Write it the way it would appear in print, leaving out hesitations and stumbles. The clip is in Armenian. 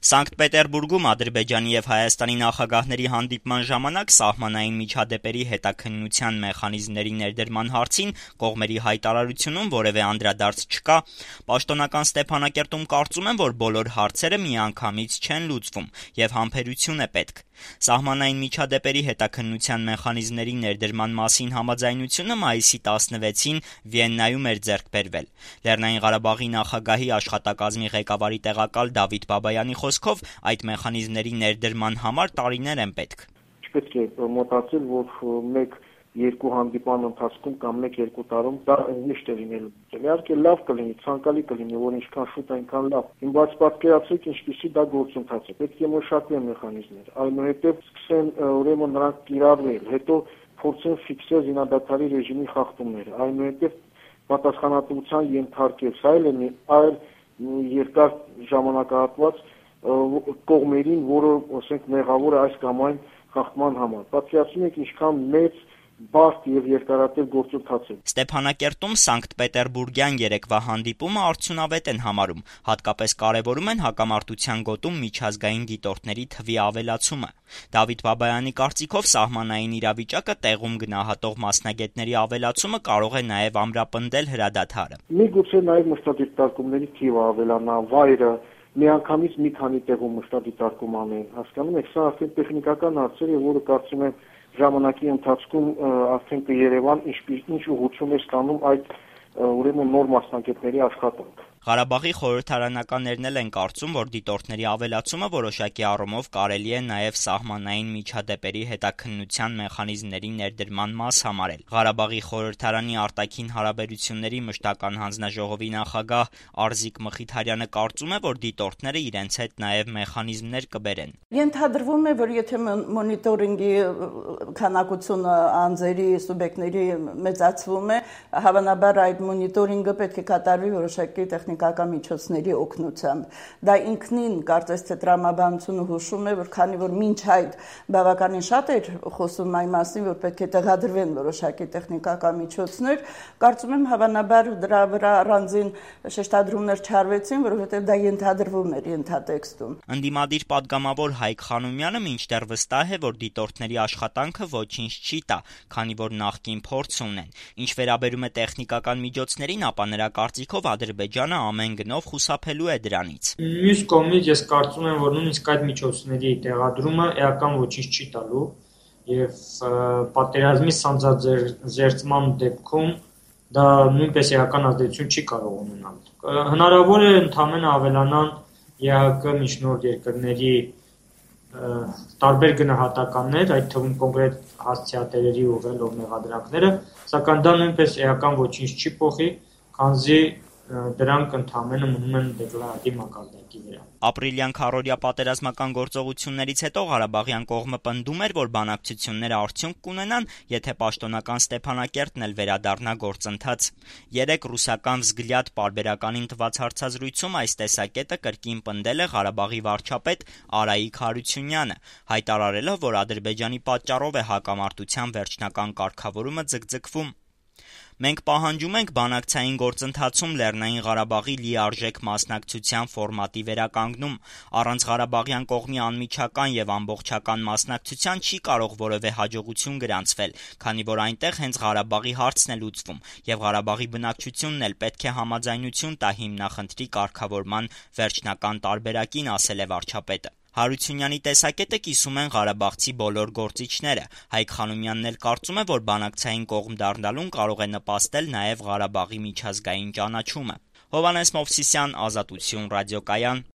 Սանկտ Պետերբուրգում Ադրբեջանի եւ Հայաստանի նախագահների հանդիպման ժամանակ սահմանային միջադեպերի հետաքննության մեխանիզմների ներդրման հարցին կողմերի հայտարարությունում որևէ անդրադարձ չկա։ Պաշտոնական Ստեփանակերտում կարծում են, որ բոլոր հարցերը միանգամից չեն լուծվում եւ համբերություն է պետք։ Սահմանային միջադեպերի հետաքննության մեխանիզմների ներդրման մասին համաձայնությունը մայիսի 16-ին Վիեննայում էր ձեռք բերվել։ Լեռնային Ղարաբաղի նախագահի աշխատակազմի ղեկավարի տեղակալ Դավիթ Բաբայանի խոսքով այդ մեխանիզմների ներդրման համար տարիներ են պետք։ Չպետք է մտածել, որ մեկ-երկու հանդիպան ընթացքում կամ մեկ-երկու տարում դա միշտ է լինելու։ Իհարկե լավ կլինի, ցանկալի կլինի, որ ինչքան շուտ այնքան լավ։ Բայց պատկերացրեք ինչպիսի դա գործընթաց է։ Պետք է մշակվեն մեխանիզմներ, այնուհետև սկսեն ուրեմն նրանք կիրառվել, հետո փորձեն ֆիքսել զինադադարի ռեժիմի խախտումները, այնուհետև պատասխանատվության ենթարկել, սա էլ է այլ երկար ժամանակահատված կողմերին, որը ասենք մեղավոր է այս կամ այն խախտման համար։ Պատկերացնում եք ինչքան մեծ բարդ եւ երկարատև գործընթաց է։ Ստեփանակերտում Սանկտ Պետերբուրգյան երեկվա հանդիպումը արդյունավետ են համարում, հատկապես կարևորում են հակամարտության գոտում միջազգային դիտորդների թվի ավելացումը։ Դավիթ Բաբայանի կարծիքով սահմանային իրավիճակը տեղում գնահատող մասնագետների ավելացումը կարող է նաեւ ամրապնդել հրադադարը։ Միգուցե նաեւ մշտադիտարկումների թիվը ավելանա, վայրը միանգամից մի քանի տեղում մշտադիտարկում անեն, հասկանում եք, սա արդեն տեխնիկական հարցեր է, որը կարծում եմ ժամանակի ընթացքում արդեն կերևան ինչ ուղղություն է ստանում այդ ուրեմն նոր մասնագետների աշխատանքը։ Ղարաբաղի խորհրդարանականներն էլ են կարծում, որ դիտորդների ավելացումը որոշակի առումով կարելի է նաև սահմանային միջադեպերի հետաքննության մեխանիզմների ներդրման մաս համարել։ Ղարաբաղի խորհրդարանի արտաքին հարաբերությունների մշտական հանձնաժողովի նախագահ Արզիկ Մխիթարյանը կարծում է, որ դիտորդները իրենց հետ նաև մեխանիզմներ կբերեն։ Ենթադրվում է, որ եթե մոնիտորինգի քանակությունը անձերի, սուբյեկտների մեծացվում է, հավանաբար այդ մոնիտորինգը պետք է կատարվի որոշակի տեխնիկական միջոցների օգնությամբ։ Դա ինքնին կարծես թե տրամաբանությունը հուշում է, որ քանի որ մինչ այդ բավականին շատ էր խոսում այն մասին, որ պետք է տեղադրվեն որոշակի տեխնիկական միջոցներ, կարծում եմ հավանաբար դրա վրա առանձին շեշտադրումներ չարվեցին, որովհետև դա ենթադրվում էր ենթատեքստում։ Ընդդիմադիր պատգամավոր Հայկ Խանոմյանը մինչդեռ վստահ է, որ դիտորդների աշխատանքը ոչինչ չի տա, քանի որ նախկին փորձ ունեն։ Ինչ վերաբերում է տեխնիկական միջոցներին, ապա նրա կարծիքով Ադրբեջանը ամեն գնով խուսափելու է դրանից։ Մյուս կողմից ես կարծում եմ, որ նույնիսկ այդ միջոցների տեղադրումը էական ոչինչ չի տալու եւ պատերազմի սանձազերծման դեպքում դա նույնպես էական ազդեցություն չի կարող ունենալ։ Հնարավոր է ընդհանրապես ավելանան ԵԱՀԿ միջնորդ երկրների տարբեր գնահատականներ, այդ թվում կոնկրետ հասցեատերերի ուղղելով մեղադրանքները, սակայն դա նույնպես էական ոչինչ չի փոխի, քանզի դրանք ընդհանրապես մնում են դեկլարատիվ մակարդակի վրա։ Ապրիլյան քառօրյա պատերազմական գործողություններից հետո Ղարաբաղյան կողմը պնդում էր, որ բանակցությունները արդյունք կունենան, եթե պաշտոնական Ստեփանակերտն էլ վերադառնա գործընթաց։ Երեկ ռուսական Վզգլյադ պարբերականին տված հարցազրույցում այս տեսակետը կրկին պնդել է Ղարաբաղի վարչապետ Արայիկ Հարությունյանը, հայտարարելով, որ Ադրբեջանի պատճառով է հակամարտության վերջնական կարգավորումը ձգձգվում։ Մենք պահանջում ենք բանակցային գործընթացում Լեռնային Ղարաբաղի լիարժեք մասնակցության ֆորմատի վերականգնում։ Առանց Ղարաբաղյան կողմի անմիջական եւ ամբողջական մասնակցության չի կարող որևէ հաջողություն գրանցվել, քանի որ այնտեղ հենց Ղարաբաղի հարցն է լուծվում, եւ Ղարաբաղի բնակչությունն էլ պետք է համաձայնություն տա հիմնախնդրի կարգավորման վերջնական տարբերակին, ասել է վարչապետը։ Հարությունյանի տեսակետը կիսում են ղարաբաղցի բոլոր գործիչները։ Հայկ Խանոմյանն էլ կարծում է, որ բանակցային կողմ դառնալուն կարող է նպաստել նաև Ղարաբաղի միջազգային ճանաչումը։ Հովհաննես Մովսիսյան, Ազատություն ռադիոկայան։